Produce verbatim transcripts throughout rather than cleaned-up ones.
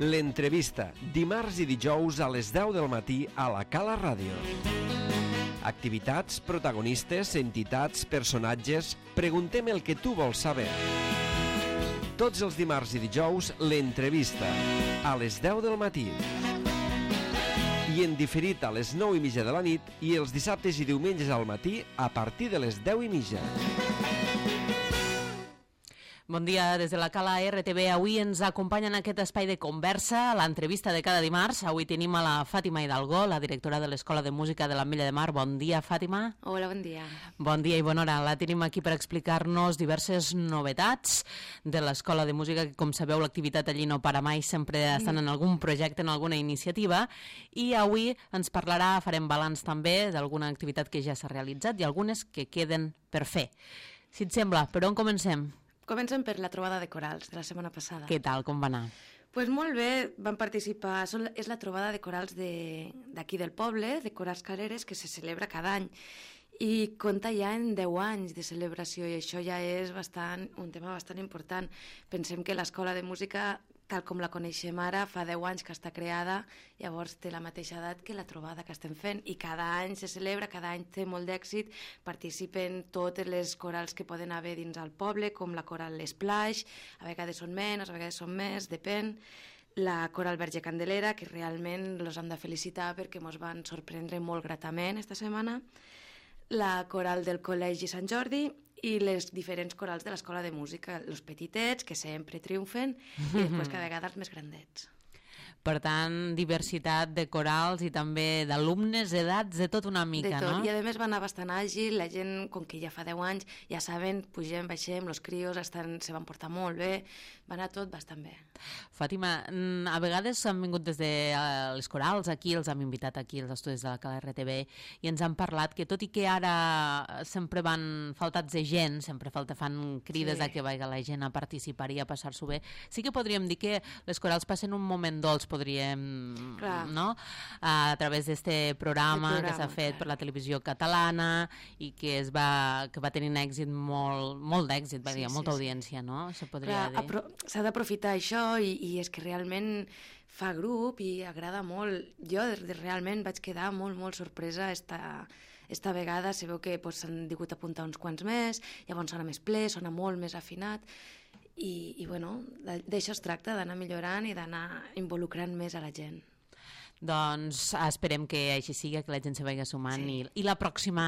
L'entrevista, dimarts i dijous a les deu del matí a la Cala Ràdio. Activitats, protagonistes, entitats, personatges... Preguntem el que tu vols saber. Tots els dimarts i dijous, l'entrevista, a les deu del matí. I en diferit a les nou i mitja de la nit i els dissabtes i diumenges al matí a partir de les deu i mitja. Bon dia des de la Cala R T V. Avui ens acompanya en aquest espai de conversa a l'entrevista de cada dimarts. Avui tenim a la Fàtima Hidalgo, la directora de l'Escola de Música de l'Ametlla de Mar. Bon dia, Fàtima. Hola, bon dia. Bon dia i bona hora. La tenim aquí per explicar-nos diverses novetats de l'Escola de Música, que com sabeu l'activitat allí no para mai, sempre estan en algun projecte, en alguna iniciativa, i avui ens parlarà, farem balanç també d'alguna activitat que ja s'ha realitzat i algunes que queden per fer. Si et sembla, per on comencem? Comencem per la trobada de corals de la setmana passada. Què tal, com va anar? Pues molt bé, van participar, són, és la trobada de corals d'aquí de, del poble, de Corals Caleres, que se celebra cada any. I compta ja en deu anys de celebració i això ja és bastant, un tema bastant important. Pensem que l'Escola de Música, tal com la coneixem ara, fa deu anys que està creada, llavors té la mateixa edat que la trobada que estem fent i cada any se celebra, cada any té molt d'èxit, participen totes les corals que poden haver dins el poble, com la coral L'Esplaix, a vegades són menys, a vegades són més, depèn. La coral Verge Candelera, que realment els hem de felicitar perquè ens van sorprendre molt gratament esta setmana. La coral del Col·legi Sant Jordi i les diferents corals de l'Escola de Música, els petitets, que sempre triomfen, i després cada vegada els més grandets. Per tant, diversitat de corals i també d'alumnes, edats, de tot una mica, de tot. No? I a més va anar bastant àgil, la gent, com que ja fa deu anys, ja saben, pugem, baixem, els crios estan, se van portar molt bé, va anar tot bastant bé. Fàtima, a vegades han vingut des de les corals aquí, els hem invitat aquí als estudis de la Cala R T V i ens han parlat que tot i que ara sempre van faltats de gent, sempre falta fan crides sí. a que vagi la gent a participar i a passar-s'ho bé, sí que podríem dir que les corals passen un moment dolç, podríem, clar. No? A través d'este programa, programa que s'ha fet clar. Per la televisió catalana i que es va, que va tenir un èxit molt, molt d'èxit, va sí, dir, sí, molta sí. audiència, no? Això podria clar, dir. S'ha d'aprofitar això i, i és que realment fa grup i agrada molt. Jo realment vaig quedar molt, molt sorpresa esta, esta vegada. Se veu que pues, s'han digut apuntar uns quants més, llavors sona més ple, sona molt més afinat. I, i bueno, d'això es tracta, d'anar millorant i d'anar involucrant més a la gent. Doncs esperem que així sigui, que la gent se vagi sumant sí. i, i la pròxima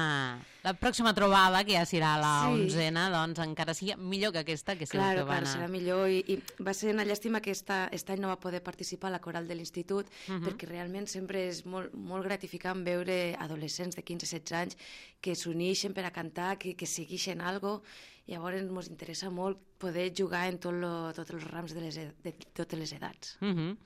la pròxima trobada, que ja serà la sí. onzena, doncs encara sigui millor que aquesta, que segur claro, que va clar, anar... serà millor i, i va ser una llàstima que esta, aquest any no va poder participar a la coral de l'institut uh -huh. perquè realment sempre és molt, molt gratificant veure adolescents de quinze setze anys que s'uneixen per a cantar, que, que segueixen algo. Llavors ens interessa molt poder jugar en tot lo, tots els rams de, les, de totes les edats. Uh -huh.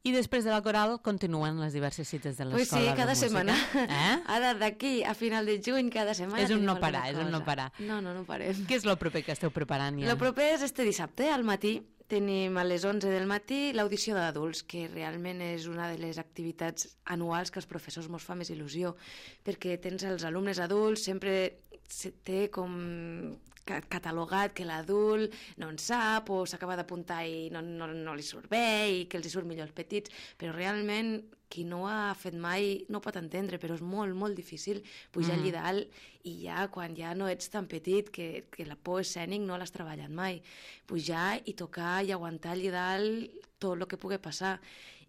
I després de la coral continuen les diverses cites de l'Escola pues sí, de cada Música. setmana. Eh? Ara d'aquí a final de juny, cada setmana és un no parar, és un no parar. No, no, no parem. Què és el proper que esteu preparant ja? El proper és este dissabte, al matí. Tenim a les onze del matí l'audició d'adults, que realment és una de les activitats anuals que els professors mos fa més il·lusió, perquè tens els alumnes adults, sempre se té com catalogat que l'adult no en sap o s'acaba d'apuntar i no, no, no li surt bé i que els hi surt millor els petits, però realment qui no ho ha fet mai no pot entendre, però és molt, molt difícil pujar mm. allí dalt i ja quan ja no ets tan petit que, que la por escènic no l'has treballat mai, pujar i tocar i aguantar allí dalt tot el que pugui passar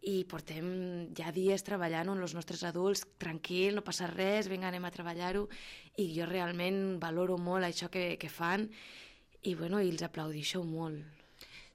i portem ja dies treballant amb els nostres adults, tranquil, no passa res, vinga, anem a treballar-ho i jo realment valoro molt això que, que fan i, bueno, i els aplaudixo molt.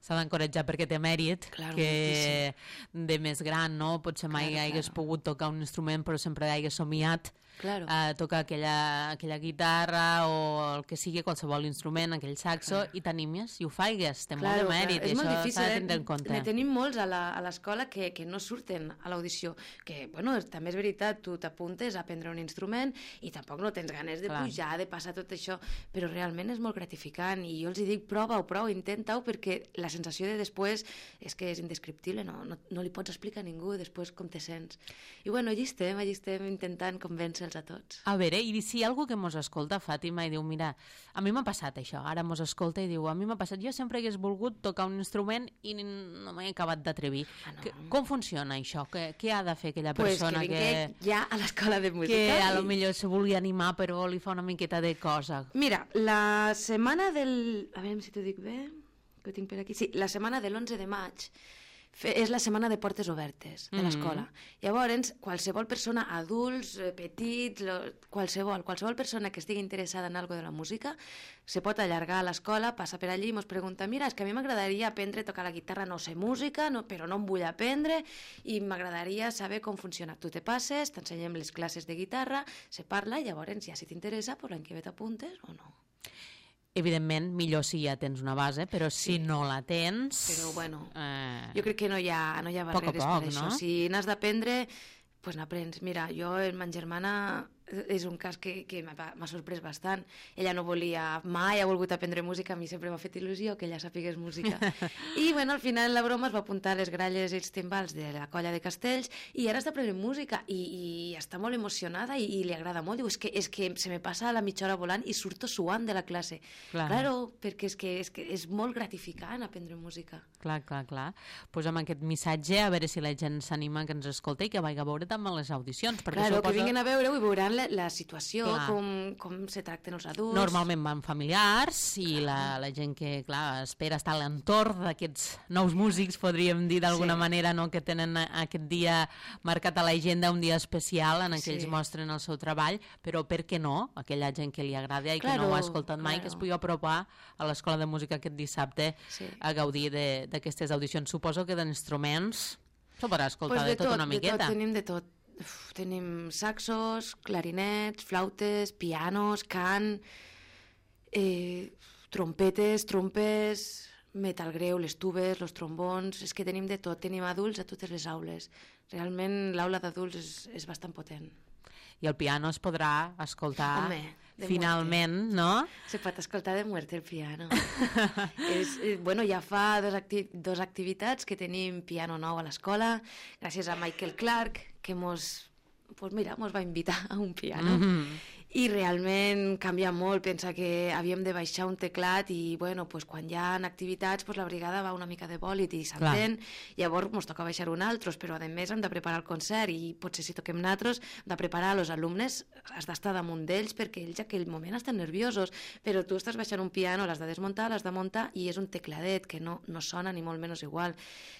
S'ha d'encoratjar perquè té mèrit, claro, que moltíssim. De més gran, no? Potser mai claro, hagués claro. pogut tocar un instrument, però sempre hagués somiat claro. a tocar aquella, aquella guitarra o el que sigui, qualsevol instrument, aquell saxo, claro. i t'animes i ho faigues, té claro, molt de mèrit, claro. i és això difícil, s'ha de tindre en compte. Ne tenim molts a l'escola que, que no surten a l'audició, que, bueno, també és veritat, tu t'apuntes a aprendre un instrument i tampoc no tens ganes de clar. pujar, de passar tot això, però realment és molt gratificant i jo els dic, prova-ho, prova-ho, intenta-ho, perquè la sensació de després és que és indescriptible, no, no, no li pots explicar a ningú després com te sents. I bueno, allí estem, allí estem intentant convèncer conèixer-los a tots. A veure, i si hi ha algú que mos escolta, Fàtima, i diu, mira, a mi m'ha passat això, ara mos escolta i diu, a mi m'ha passat, jo sempre hagués volgut tocar un instrument i no m'he acabat d'atrevir. Ah, no. Que, com funciona això? Què, què ha de fer aquella Pues persona que que, vingui ja a l'escola de música. que a i- lo millor se vulgui animar però li fa una miqueta de cosa? Mira, la setmana del... A veure si t'ho dic bé, que ho tinc per aquí. Sí, la setmana de l'onze de maig fe, és la setmana de portes obertes de l'escola. Llavors, qualsevol persona, adults, eh, petits, lo, qualsevol, qualsevol persona que estigui interessada en algo de la música, se pot allargar a l'escola, passa per allí i ens pregunta, mira, és que a mi m'agradaria aprendre a tocar la guitarra, no sé música, no, però no em vull aprendre i m'agradaria saber com funciona. Tu te passes, t'ensenyem les classes de guitarra, se parla i llavors ja si t'interessa, pues l'any que ve t'apuntes o no. Evidentment, millor si ja tens una base, però si no la tens... Però, bueno, Eh... jo crec que no hi ha, no hi ha Poc a barreres poc, per això. no? Si n'has d'aprendre, pues n'aprens. Mira, jo, ma germana, és un cas que, que m'ha m'ha sorprès bastant. Ella no volia, mai ha volgut aprendre música, a mi sempre m'ha fet il·lusió que ella sapigués música. I, bueno, al final la broma es va apuntar a les gralles i els timbals de la colla de Castells i ara està aprenent música i, i està molt emocionada i, i li agrada molt. Diu, és que, és que se me passa la mitja hora volant i surto suant de la classe. Clar. Claro, perquè és que, és que és molt gratificant aprendre música. Clar, clar, clar. Pues amb aquest missatge, a veure si la gent s'anima que ens escolta i que vagi a veure també les audicions. Perquè Claro, suposo... que vinguin a veure-ho i veuran la, la situació, Clar. com, com se tracten els adults. Normalment van familiars i la, la gent que, clar, espera estar a l'entorn d'aquests nous músics, podríem dir d'alguna Sí. manera, no?, que tenen aquest dia marcat a l'agenda, un dia especial en què ells Sí. mostren el seu treball, però per què no? Aquella gent que li agrada i que Claro, no ho ha escoltat mai, claro. que es pugui apropar a l'Escola de Música aquest dissabte Sí. a gaudir de- d'aquestes audicions. Suposo que d'instruments s'ho podrà escoltar Pues de, tot una de miqueta. tot, tenim de tot. Uf, tenim saxos, clarinets, flautes, pianos, cant, eh, trompetes, trompes, metal greu, les tubes, els trombons... És que tenim de tot, tenim adults a totes les aules. Realment l'aula d'adults és, és bastant potent. I el piano es podrà escoltar Home, de finalment, no? Se pot escoltar de muerte el piano. és, eh, bueno, ja fa dos, acti dos activitats que tenim piano nou a l'escola, gràcies a Michael Clark, que mos, pues mira, mos va invitar a un piano. Mm -hmm. I realment canvia molt, pensa que havíem de baixar un teclat i bueno, pues, quan hi ha activitats pues, la brigada va una mica de bòlit i s'entén, llavors ens toca baixar un altres, però a més hem de preparar el concert i potser si toquem nosaltres hem de preparar els alumnes, has d'estar damunt d'ells perquè ells aquell moment estan nerviosos, però tu estàs baixant un piano, l'has de desmuntar, l'has de muntar i és un tecladet que no, no sona ni molt menys igual.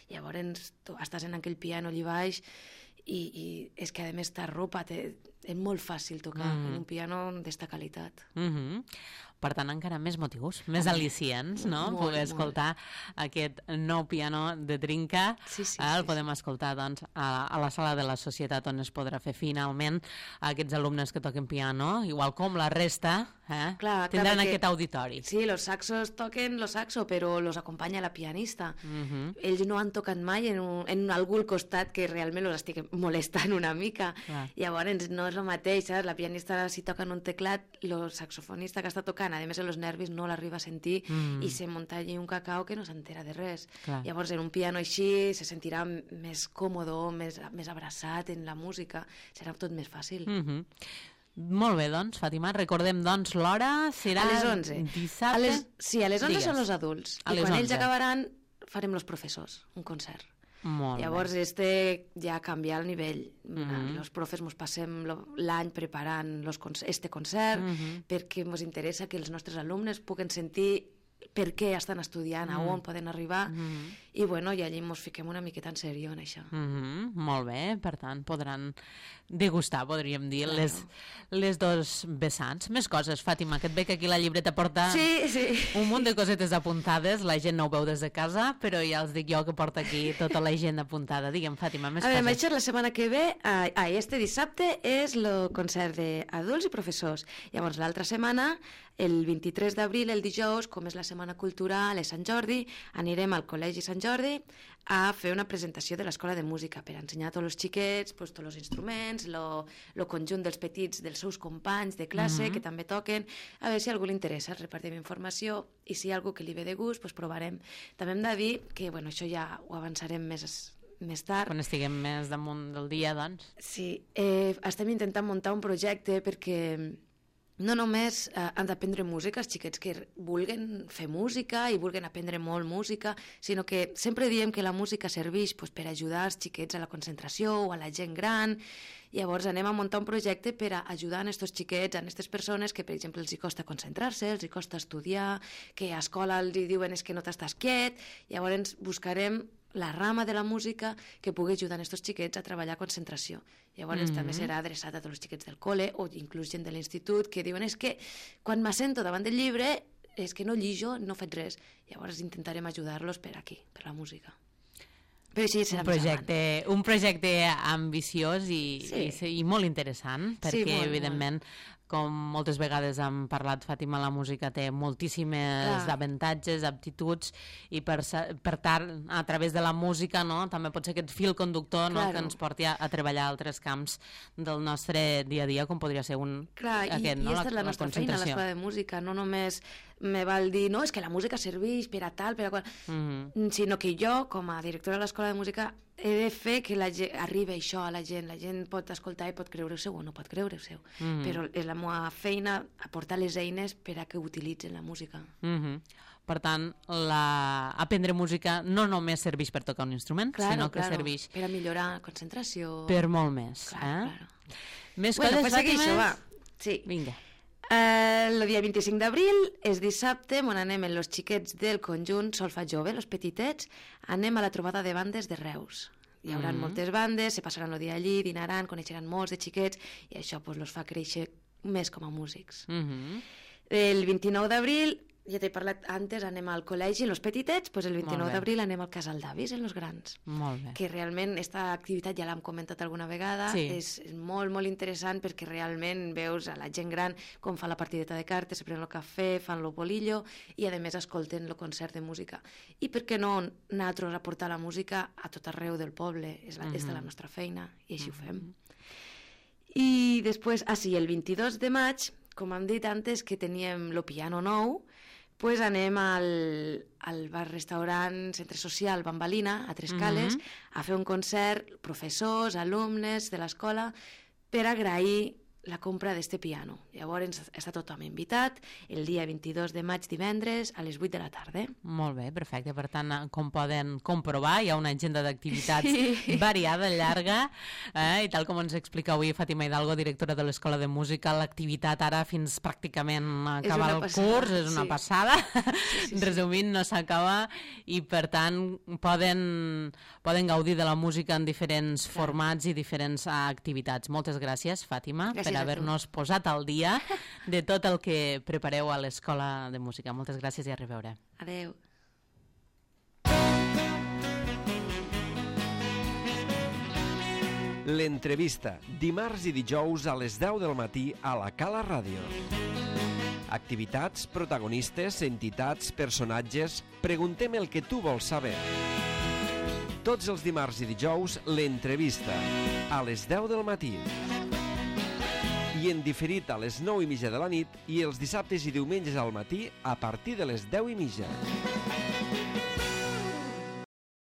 Llavors tu estàs en aquell piano allà baix i, i és que a més t'arropa, te, és molt fàcil tocar mm. en un piano d'esta qualitat. Mm -hmm. Per tant, encara més motius, més al·licients, no? Molt, Poder molt. escoltar aquest nou piano de Trinca. Sí, sí, el sí, podem escoltar doncs, a, a la sala de la Societat on es podrà fer finalment aquests alumnes que toquen piano, igual com la resta, eh? Clar, tindran clar, perquè- aquest auditori. Sí, los saxos toquen los saxo, però los acompanya la pianista. Mm -hmm. Ells no han tocat mai en, un, en algú al costat que realment els estigui molestant una mica. Clar. Llavors no és el mateix, saps? La pianista si toca en un teclat, el saxofonista que està tocant, a més els nervis no l'arriba a sentir Mm. i se munta allí un cacau que no s'entera de res. Clar. Llavors en un piano així se sentirà més còmodo, més, més abraçat en la música, serà tot més fàcil. Mm -hmm. Molt bé, doncs, Fàtima, recordem doncs l'hora, serà A les onze. dissabte. A les, sí, a les onze Digues. són els adults. A I les quan ells onze. acabaran farem els professors, un concert. Molt Llavors, bé. este ja canvia el nivell. Mhm. Els profes mos passem lo- l'any preparant los conce- este concert Mhm. perquè mos interessa que els nostres alumnes puguen sentir per què estan estudiant, a on poden arribar, Mhm. i bueno, i allí mos fiquem una miqueta en serió en això. Mm -hmm. Molt bé, per tant, podran degustar, podríem dir, Claro. les, les dos vessants. Més coses, Fàtima, que et veig que aquí la llibreta porta Sí, sí. un munt de cosetes apuntades, la gent no ho veu des de casa, però ja els dic jo que porta aquí tota la gent apuntada. Digue'm, Fàtima, més A veure, coses. Metges, la setmana que ve, ah, ah, este dissabte, és el concert d'adults i professors. Llavors, l'altra setmana, el vint-i-tres d'abril, el dijous, com és la Setmana Cultural, és Sant Jordi, anirem al Col·legi Sant Jordi a fer una presentació de l'Escola de Música per ensenyar a tots els xiquets pues, tots els instruments, el conjunt dels petits dels seus companys de classe, Mhm. que també toquen, a veure si a algú li interessa, repartim informació, i si hi ha algú que li ve de gust, pues, provarem. També hem de dir que, bueno, això ja ho avançarem més més tard. Quan estiguem més damunt del dia, doncs. Sí, eh, estem intentant muntar un projecte perquè no només eh, han d'aprendre música els xiquets que vulguen fer música i vulguen aprendre molt música, sinó que sempre diem que la música serveix pues, per ajudar els xiquets a la concentració o a la gent gran. Llavors anem a muntar un projecte per a ajudar a aquests xiquets, a aquestes persones que, per exemple, els hi costa concentrar-se, els hi costa estudiar, que a escola els diuen és que no t'estàs quiet. Llavors buscarem la rama de la música que pugui ajudar a aquests xiquets a treballar concentració. Llavors mm-hmm. també serà adreçat a tots els xiquets del col·le o inclús gent de l'institut que diuen és que quan m'assento davant del llibre és que no llijo, no faig res. Llavors intentarem ajudar-los per aquí, per la música. Però sí, serà un projecte, un projecte ambiciós i, sí. i, i molt interessant, perquè sí, molt, evidentment molt. Com moltes vegades hem parlat, Fàtima, la música té moltíssimes Clar. avantatges, aptituds, i per, per tant, a través de la música, no, també pot ser aquest fil conductor no, claro. que ens porti a, a treballar altres camps del nostre dia a dia, com podria ser un Clar, aquest, i, no, i aquesta és la, la nostra feina, l'escola de música, no només me val dir, no, és que la música serveix per a tal, per a qual, mm-hmm. sinó que jo, com a directora de l'escola de música, he de fer que la gent, arribi això a la gent. La gent pot escoltar i pot creure-ho-seu o no pot creure-ho-seu. Mm-hmm. Però és la meva feina aportar les eines per a que utilitzen la música. Mm-hmm. Per tant, la... aprendre música no només serveix per tocar un instrument, claro, sinó que claro. serveix... per a millorar la concentració... Per molt més. Claro, eh? claro. Més bueno, coses, pues Fàtima? Això, va. Sí. Vinga. Uh, el dia vint-i-cinc d'abril és dissabte, on anem amb els xiquets del conjunt Solfa Jove, els petitets, anem a la trobada de bandes de Reus. Hi haurà mm-hmm. moltes bandes, se passaran el dia allí, dinaran, coneixeran molts de xiquets i això pues, los fa créixer més com a músics. Mm-hmm. El vint-i-nou d'abril, ja t'he parlat antes, anem al col·legi, en els petitets, pues el vint-i-nou d'abril anem al casal d'avis, en els grans. Molt bé. Que realment aquesta activitat ja l'hem comentat alguna vegada, sí. és, és molt, molt interessant perquè realment veus a la gent gran com fa la partideta de cartes, se prenen el cafè, fan el bolillo i a més escolten el concert de música. I per què no nosaltres aportar la música a tot arreu del poble? És, la, mm-hmm. és de la nostra feina i així mm-hmm. ho fem. I després, ah sí, el vint-i-dos de maig, com hem dit antes, que teníem el piano nou, pues anem al, al bar-restaurant Centre Social Bambalina, a Tres Cales, mm-hmm. a fer un concert, professors, alumnes de l'escola, per agrair la compra d'este piano. Llavors està tothom invitat el dia vint-i-dos de maig, divendres, a les vuit de la tarda. Molt bé, perfecte. Per tant, com poden comprovar, hi ha una agenda d'activitats sí. variada, llarga, eh? I tal com ens explica avui Fàtima Hidalgo, directora de l'Escola de Música, l'activitat ara fins pràcticament a acabar el passada, curs, és una sí. passada. Sí, sí, Resumint, no s'acaba, i per tant poden, poden gaudir de la música en diferents Clar. formats i diferents activitats. Moltes gràcies, Fàtima, gràcies per haver-nos posat al dia de tot el que prepareu a l'Escola de Música. Moltes gràcies i a reveure. Adeu. L'entrevista, dimarts i dijous a les deu del matí a la Cala Ràdio. Activitats, protagonistes, entitats, personatges... Preguntem el que tu vols saber. Tots els dimarts i dijous, l'entrevista, a les deu del matí. I en diferit a les nou i mitja de la nit i els dissabtes i diumenges al matí a partir de les deu i mitja.